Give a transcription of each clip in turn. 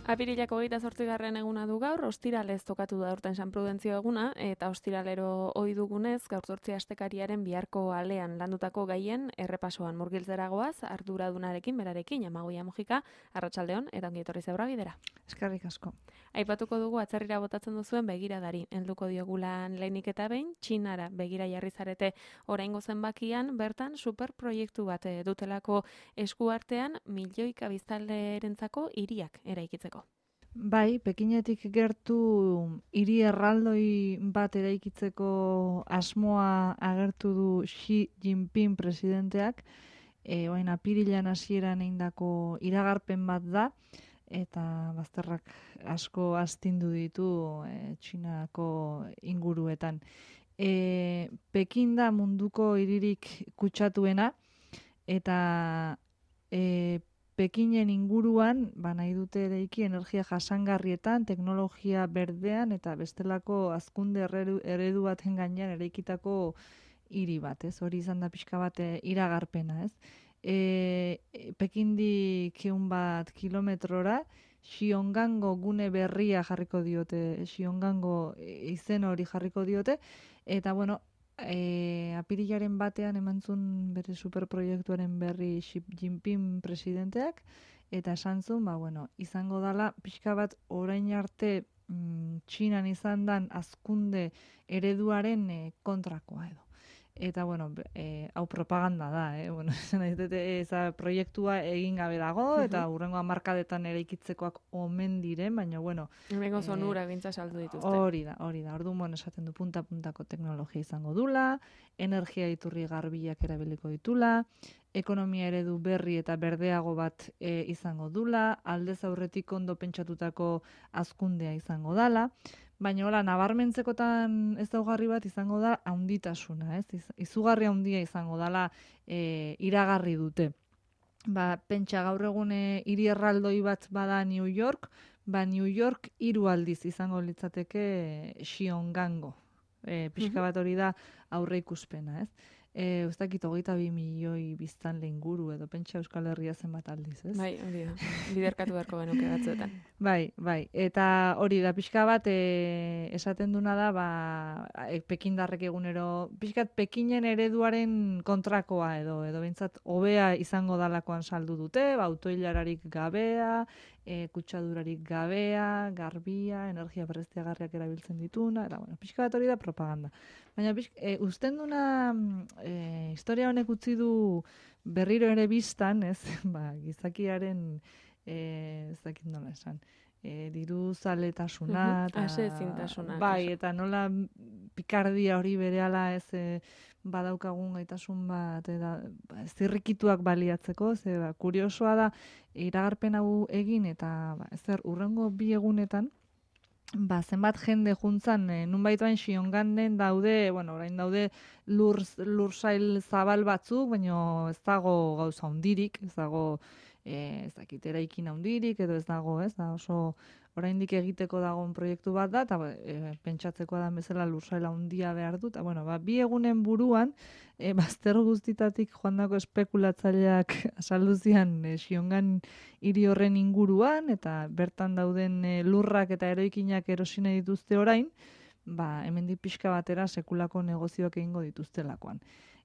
Apirilak 28. eguna du gaur, ostiralez tokatu da aurten San Prudentzio eguna, eta ostiralero ohi dugunez, gaur 8 astekariaren biharko alean landutako gaien errepasoan murgiltzeragoaz, arduradunarekin, berarekin, Amagoia Mujika, arratsaldeon eta ongi etorri zebra bidera. Eskerrik asko. Aipatuko dugu atzerrira botatzen duzuen begiradari, helduko diogulan lehenik eta behin, Txinara begira jarri zarete oraingo zenbakian, bertan superproiektu bat dutelako eskuartean, milioika biztanlerentzako hiriak eraikitzeko. Bai, Pekinetik gertu hiri erraldoi bat eraikitzeko asmoa agertu du Xi Jinping presidenteak, orain apirilean hasieran egindako iragarpen bat da, eta bazterrak asko astindu ditu Txinako inguruetan. Pekin da munduko hiririk kutsatuena, eta Pekinen inguruan, nahi dute eraiki energia jasangarrietan, teknologia berdean eta bestelako hazkunde eredu baten gainean eraikitako hiri bat, ez? Hori izan da pixka bat iragarpena, ez? Pekindik 100 kilometrora, Xiongango gune berria jarriko diote, Xiongango izen hori jarriko diote, eta bueno, apirilaren batean emantzun bere superproiektuaren berri Xi Jinping presidenteak, eta esan zuen, izango dala pixka bat orain arte Txinan izan dan hazkunde ereduaren kontrakoa edo. Eta, hau propaganda da, eza proiektua egin gabe dago, eta hurrengo hamarkadetan eraikitzekoak omen diren, baina, Hemengo zonura gintza saldu dituzte. Hori da. Orduan esaten du punta-puntako teknologia izango dula, energia iturri garbiak erabiliko ditula, ekonomia eredu berri eta berdeago bat izango dula, aldez aurretik ondo pentsatutako hazkundea izango dala, baina hola, nabarmentzekotan ezaugarri bat izango da haunditasuna, ez? Izugarri haundia izango dala iragarri dute. Pentsa gaur egune hiri erraldoi bat bada New York, New York 3 aldiz izango litzateke Xiongango. Pixka bat hori da aurre ikuspena, ez? Ez dakit 22 milioi biztanle inguru edo pentsa Euskal Herria zenbat aldiz, ez? Bai, hori da. Biderkatu beharko genuke batzuetan. Bai. Eta hori da pixka bat esaten duna da, Pekindarrek egunero, pixkat Pekinen ereduaren kontrakoa edo behintzat hobea izango dalakoan saldu dute, autoilararik gabea, kutsadurarik gabea, garbia, energia berriztagarriak erabiltzen dituna, eta pixka bat hori da propaganda. Baina usten duna historia honek utzi du berriro ere biztan, ez? Gizakiaren ez dakit nola esan, diru zaletasuna, aseezintasuna. Bai, eta nola pikardia hori berehala ez badaukagun gaitasun bat, eta zirrikituak baliatzeko, kuriosoa da, iragarpen hau egin, eta urrengo 2 egunetan, zenbat jende juntzan, nunbait bain Xionganden daude, orain daude lursail zabal batzuk, baina ez dago gauza hundirik, ez dago ez dakit eraikin handirik, edo ez dago, ez da oso oraindik egiteko dagoen proiektu bat da, eta pentsatzeko da bezala lursail handia behar dut, eta 2 egunen buruan, bazter guztitatik joandako espekulatzaileak salduzian Xiongan hiri horren inguruan, eta bertan dauden lurrak eta eroikinak erosine dituzte orain, hemendik pixka batera sekulako negozioak egingo dituztelakoan.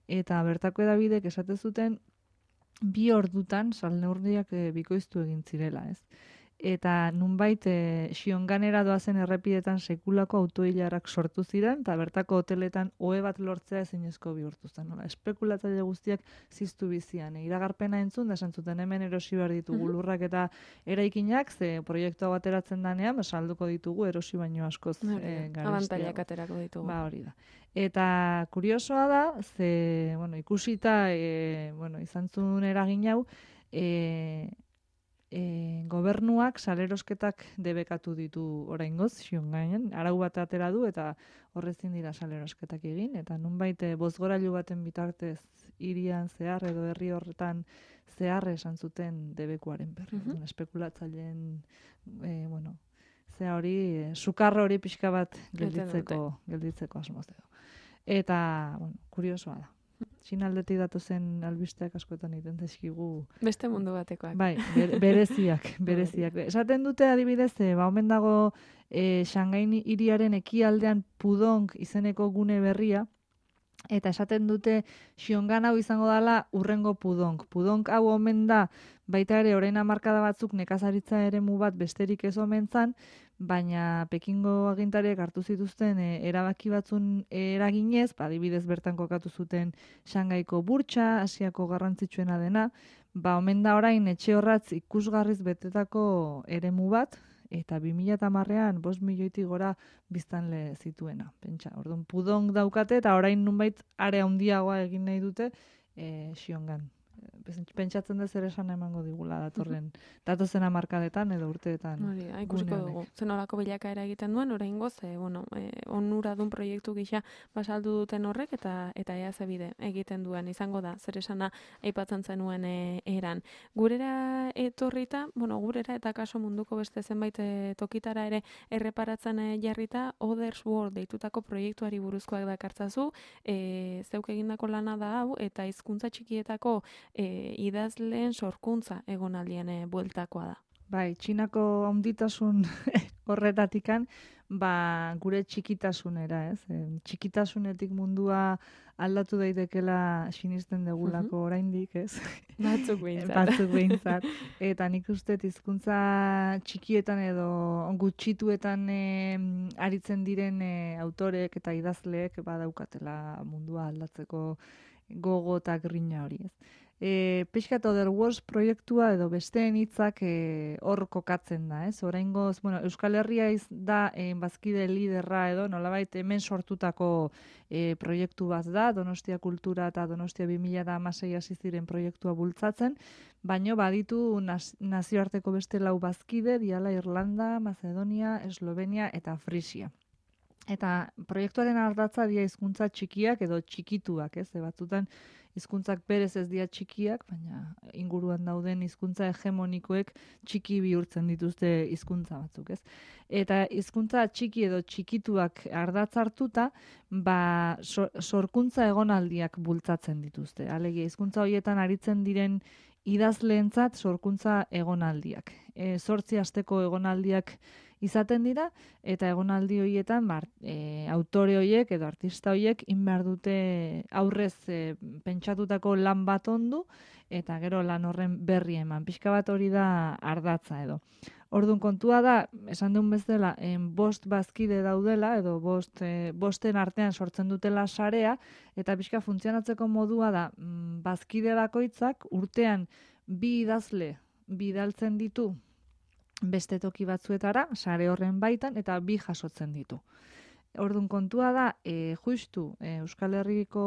Eta bertako edabidek esate zuten 2 ordutan salneurriak bikoiztu egin zirela, ez? Eta nunbait Xionganera doazen errepidetan sekulako autoilarak sortu ziren, eta bertako hoteletan ohe bat lortzea ezinezko bihurtu zen. Espekulatzaile guztiak ziztu bizian. Iragarpena entzun, da esan zuten hemen erosi behar ditugu lurrak eta eraikinak, ze proiektua bateratzen danean, salduko ditugu erosi baino askoz garestiago. Abantailak aterako ditugu. Hori da. Eta kuriosoa da, ze, ikusita, izan zuen eragin hau, gobernuak salerosketak debekatu ditu oraingoz Xionganen, arau bat atera du eta horrezin dira salerosketak egin, eta nunbait bozgorailu baten bitartez hirian zehar edo herri horretan zehar esan zuten debekuaren berri. Espekulatzaileen hori, sukarro hori pixka bat gelditzeko asmoz edo. Eta, kuriosoa da. Txinaldetik datozen albisteak askotan egiten zaizkigu. Beste mundu batekoak. Bai, bereziak. Esaten dute adibidez, omen dago Shanghai hiriaren ekialdean Pudong izeneko gune berria, eta esaten dute Xiongan hau izango dela urrengo Pudong. Pudong hau omen da, baita ere orain hamarkada batzuk nekazaritza eremu bat besterik ez omen zan, baina Pekingo agintariek hartu zituzten erabaki batzun eraginez, adibidez bertan kokatu zuten Shanghaiko burtsa, Asiako garrantzitsuena dena, omen da orain etxe horratz ikusgarriz betetako eremu bat, eta 2010ean 5 milioitik gora biztanle zituena. Pentsa, orduan Pudong daukate eta orain nunbait are handiagoa egin nahi dute Xiongan. Pentsatzen dut zer esan emango digula datozen hamarkadetan edo urteetan. Hori, ikusiko dugu. Zenolako bilakaera egiten duen, oraingoz, onuradun proiektu gisa basaldu duten horrek eta ea ze bide egiten duen izango da. Zer esana aipatzen zenuen eran. Gurera etorrita, gurera eta kaso munduko beste zenbait tokitara ere erreparatzen jarrita, Others World deitutako proiektuari buruzkoak dakartzazu, zeuk egindako lana da hau, eta hizkuntza txikietako idazleen sorkuntza egonaldien bueltakoa da. Bai, Txinako handitasun horretatikan, gure txikitasunera, ez? Txikitasunetik mundua aldatu daitekela sinisten degulako oraindik, ez? Batzuk behintzat. Eta nik uste hizkuntza txikietan edo gutxituetan aritzen diren autorek eta idazleek badaukatela mundua aldatzeko gogo eta grina hori, ez? Pixkat Other Worlds proiektua edo besteen hitzak hor kokatzen da, ez? Oraingoz, Euskal Herria da bazkide liderra edo nolabait hemen sortutako proiektu bat da, Donostia Kultura eta Donostia 2016 hasi ziren proiektua bultzatzen, baino baditu nazioarteko beste 4 bazkide, diala Irlanda, Macedonia, Eslovenia eta Frisia. Eta proiektuaren ardatza dira hizkuntza txikiak edo txikituak, ez? Batzutan hizkuntzak berez ez dira txikiak, baina inguruan dauden hizkuntza hegemonikoek txiki bihurtzen dituzte hizkuntza batzuk, ez? Eta hizkuntza txiki edo txikituak ardatz hartuta, sorkuntza egonaldiak bultzatzen dituzte. Alegia, hizkuntza horietan aritzen diren idazleentzat sorkuntza egonaldiak. 8 asteko egonaldiak izaten dira, eta egonaldi horietan autore horiek edo artista horiek behar dute aurrez pentsatutako lan bat ondu, eta gero lan horren berri eman. Pixka bat hori da ardatza edo. Orduan kontua da, esan duen bezala, 5 bazkide daudela, edo 5 artean sortzen dutela sarea, eta pixka funtzionatzeko modua da, bazkide bakoitzak urtean 2 idazle bidaltzen ditu beste toki batzuetara, sare horren baitan, eta 2 jasotzen ditu. Orduan kontua da, justu Euskal Herriko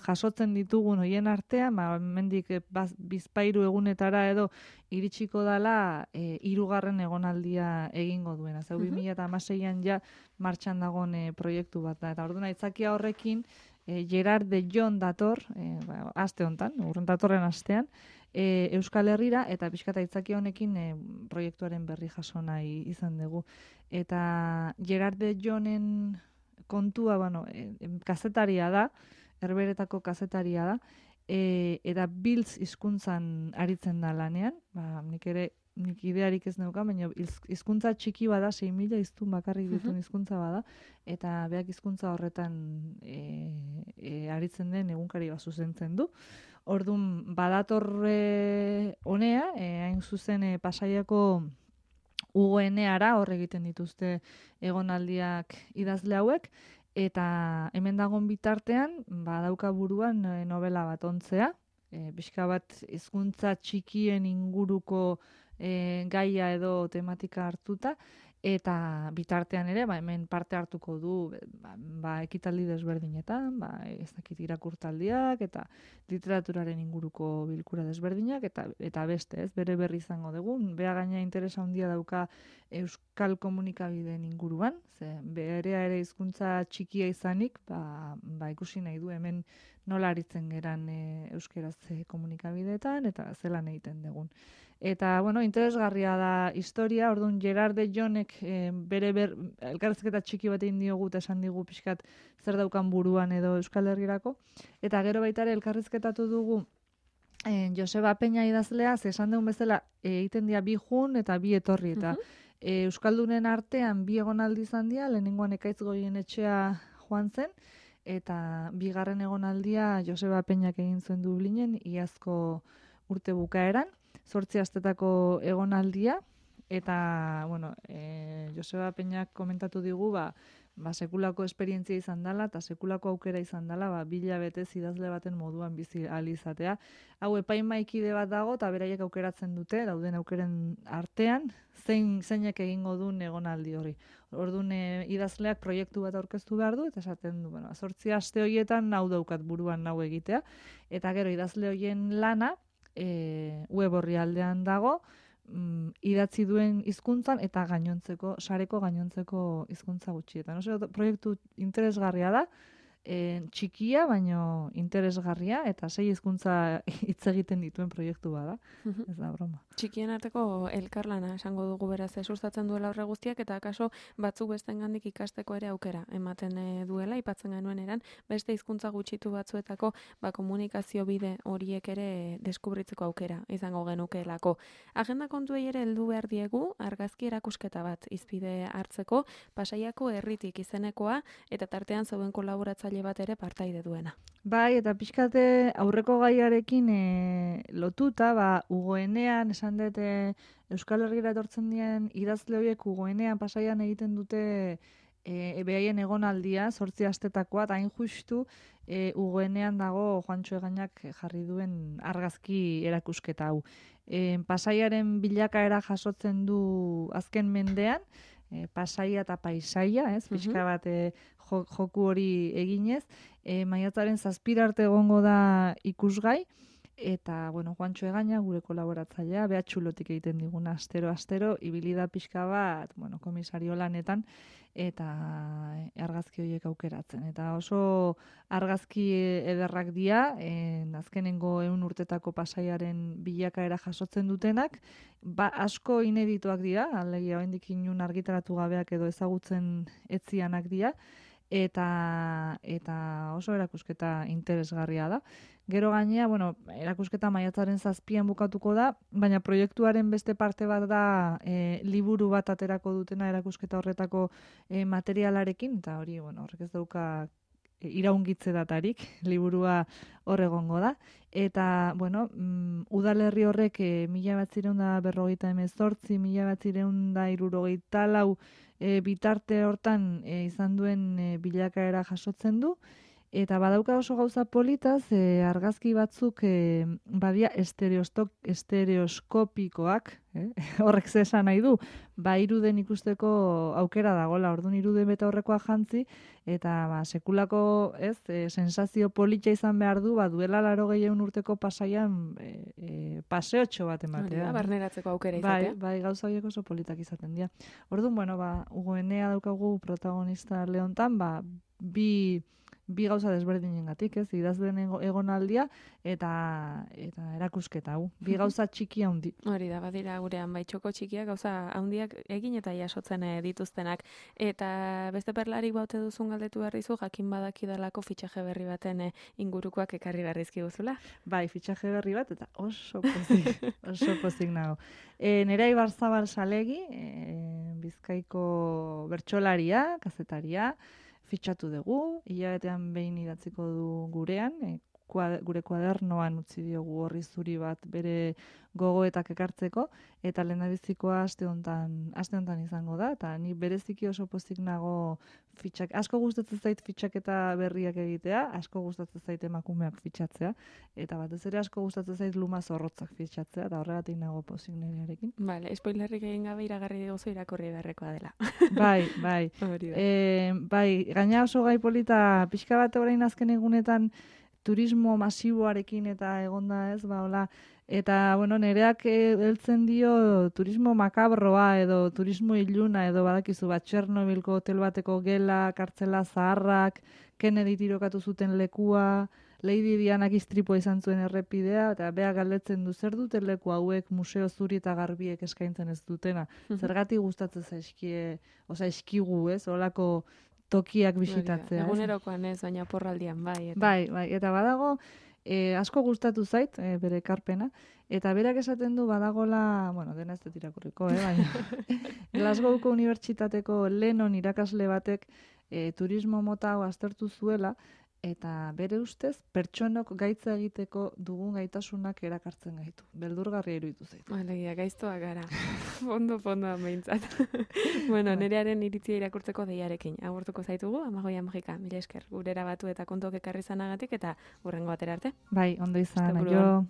jasotzen ditugun hoien artean, mendik bizpairu egunetara edo iritsiko dela 3. egonaldia egingo duena. Zau 2016an ja martxan dagoen proiektu bat da. Eta orduan aitzakia horrekin, Gerard de Jon dator, aste honetan, urren datorren astean, Euskal Herrira, eta pixkata aitzakia honekin proiektuaren berri jaso nahi izan dugu. Eta Gerard de Jonen kontua, kazetaria da, Herberetako kazetaria da, eta Biltz hizkuntzan aritzen da lanean, nik idearik ez neuka, baina hizkuntza txiki bada, 6.000 hiztun bakarrik dituen hizkuntza bada, eta beak hizkuntza horretan aritzen den egunkari bat zuzentzen du. Orduan, badatorre honea, hain zuzen Pasaiako UGNara hor egiten dituzte egonaldiak idazle hauek, eta hemen dagoen bitartean, badauka buruan novela bat ontzea, pixka bat hizkuntza txikien inguruko gaia edo tematika hartuta, eta bitartean ere, hemen parte hartuko du ekitaldi desberdinetan, ez dakit irakurtaldiak, eta literaturaren inguruko bilkura desberdinak, eta beste, ez, bere berri izango dugu. Bea gaina interesa handia dauka euskal komunikabideen inguruan, ze berea ere hizkuntza txikia izanik, ikusi nahi du hemen nola aritzen geran euskeraz komunikabideetan, eta zelan egiten dugun. Eta, bueno, interesgarria da historia, orduan Gerard de Jonek bere elkarrizketa txiki bat egin diogu eta esan digu pixkat zer daukan buruan edo Euskal Herrirako. Eta gero baita ere elkarrizketatu dugu Joseba Peña idazlea, ze esan dugun bezala egiten dira bi jun eta bi etorri. Eta Euskaldunen artean bi egonaldi izan dira, lehenengoan Ekaitz Goienetxea joan zen, eta bigarren egonaldia Joseba Peñak egin zuen Dublinen, iazko urte bukaeran, 8 astetako egonaldia, eta, bueno, Joseba Peñak komentatu digu, sekulako esperientzia izan dela, eta sekulako aukera izan dela, 2 hilabetez idazle baten moduan bizi ahal izatea. Hau epaimaikide bat dago, eta beraiek aukeratzen dute, dauden aukeren artean, zeinek egingo duen egonaldi hori. Orduan idazleak proiektu bat aurkeztu behar du, eta esaten du, 8 aste horietan hau daukat buruan nau egitea, eta gero idazle horien lana, web orrialdean dago, idatzi duen hizkuntzan eta sareko gainontzeko hizkuntza gutxietan. Proiektu interesgarria da, txikia, baino interesgarria, eta 6 hizkuntza hitz egiten dituen proiektu bada. Ez da broma. Txikien arteko elkarlana esango dugu beraz, sustatzen duela horre guztiak, eta akaso batzuk bestengandik ikasteko ere aukera ematen duela, aipatzen genuen eran, beste hizkuntza gutxitu batzuetako komunikazio bide horiek ere deskubritzeko aukera izango genukeelako. Agenda kontuei ere heldu behar diegu, argazki erakusketa bat izpide hartzeko, Pasaiako herritik izenekoa, eta tartean zeuden kolaboratzaile bat ere partaide duena. Bai, eta pixkate aurreko gaiarekin lotuta, Ugoenean, esan dut Euskal Herrira etortzen dien idazle horiek Ugoenean Pasaian egiten dute behaien egonaldia, 8 astetakoa, eta hain justu Ugoenean dago Juantxo Egainak jarri duen argazki erakusketa hau. Pasaiaren bilakaera jasotzen du azken mendean, Pasaia eta Paisaia, pixka bat joku hori eginez, maiatzaren 7 arte egongo da ikusgai, eta, Juantxo Egaina, gure kolaboratzailea, behatxulotik egiten diguna astero, ibili da pixka bat, komisario lanetan, eta argazki horiek aukeratzen. Eta oso argazki ederrak dira, azkenengo 100 urtetako Pasaiaren bilakaera jasotzen dutenak, asko inedituak dira, alegia oraindik inun argitaratu gabeak edo ezagutzen etzianak dira, eta oso erakusketa interesgarria da. Gero gainea, erakusketa maiatzaren 7an bukatuko da, baina proiektuaren beste parte bat da liburu bat aterako dutena erakusketa horretako materialarekin, eta hori, horrek ez dauka iraungitze datarik, liburua hor egongo da. Eta, udalerri horrek 1948, 1964 bitarte hortan izan duen bilakaera jasotzen du, eta badauka oso gauza politaz, argazki batzuk badia estereoskopikoak, horrek ze esan nahi du, iruden ikusteko aukera dagoela, orduan iruden beta horrekoa jantzi, eta sekulako sensazio politxa izan behar du, duela 80 urteko Pasaian paseotxo bat ematea. Barneratzeko aukera izatea. Bai, gauza horiek oso politak izaten dira. Orduan, Ugoenea daukagu protagonista leontan, bi gauza desberdinengatik, idazleen egonaldia eta erakusketa hau. Bi gauza txiki handi. Hori da, badira gurean txoko txikiak gauza handiak egin eta jasotzen dituztenak. Eta beste perlarik baute duzun galdetu berrizu, jakin badakidalako fitxaje berri baten ingurukoak ekarri berrizki guzula? Bai, fitxaje berri bat, eta oso pozik nago. Nerea Ibarzabal Salegi, Bizkaiko bertsolaria, kazetaria, fitxatu dugu, hilabetean behin idatziko du gurean, gure kuadernoan utzi diogu horri zuri bat bere gogoetak ekartzeko, eta lehendabizikoa aste hontan izango da, eta ni bereziki oso pozik nago asko gustatzen zait fitxaketa berriak egitea, asko gustatzen zait emakumeak fitxatzea, eta batez ere asko gustatzen zait luma zorrotzak fitxatzea, eta horregatik nago pozik nerearekin. Bale, spoilerrik egin gabe iragarri diguzu irakurri beharrekoa dela. Bai. Bai, gaina oso gai polita, pixka bat orain azken egunetan turismo masiboarekin eta egonda hola, eta, nereak heltzen dio turismo makabroa edo turismo iluna edo badakizu Txernobilko hotel bateko gela, kartzela zaharrak, Kennedy tirokatu zuten lekua, Lady Dianak istripua izan zuen errepidea, eta bea galdetzen du zer dute leku hauek museo zuri eta garbiek eskaintzen ez dutena. Zergatik gustatzen zaizkie, eskigu, ez? Olako tokiak bisitatzea. Egunerokoan ez, baina porraldian, bai. Bai, eta badago, asko gustatu zait, bere ekarpena, eta berak esaten du badagola, dena ez dut irakurriko, baina Glasgowko Unibertsitateko Lennon irakasle batek turismo mota hau aztertu zuela, eta bere ustez, pertsonok gaitza egiteko dugun gaitasunak erakartzen gaitu. Beldurgarria iruditu zaitu. Alegia, gaiztoak gara. Fondo behintzat. Nerearen iritzia irakurtzeko deiarekin. Agurtuko zaitugu, Amagoia Magika, mila esker. Gurera batu eta kontuak ekarri zanagatik, eta hurrengo batera arte. Bai, ondo izan, aio.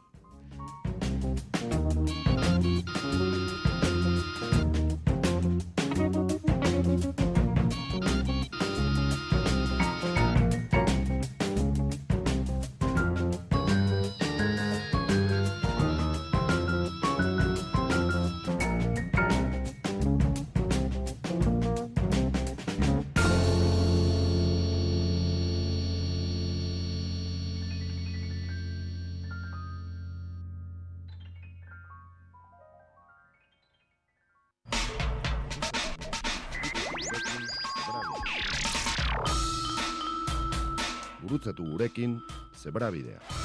Gurutzatu gurekin Zebrabidea.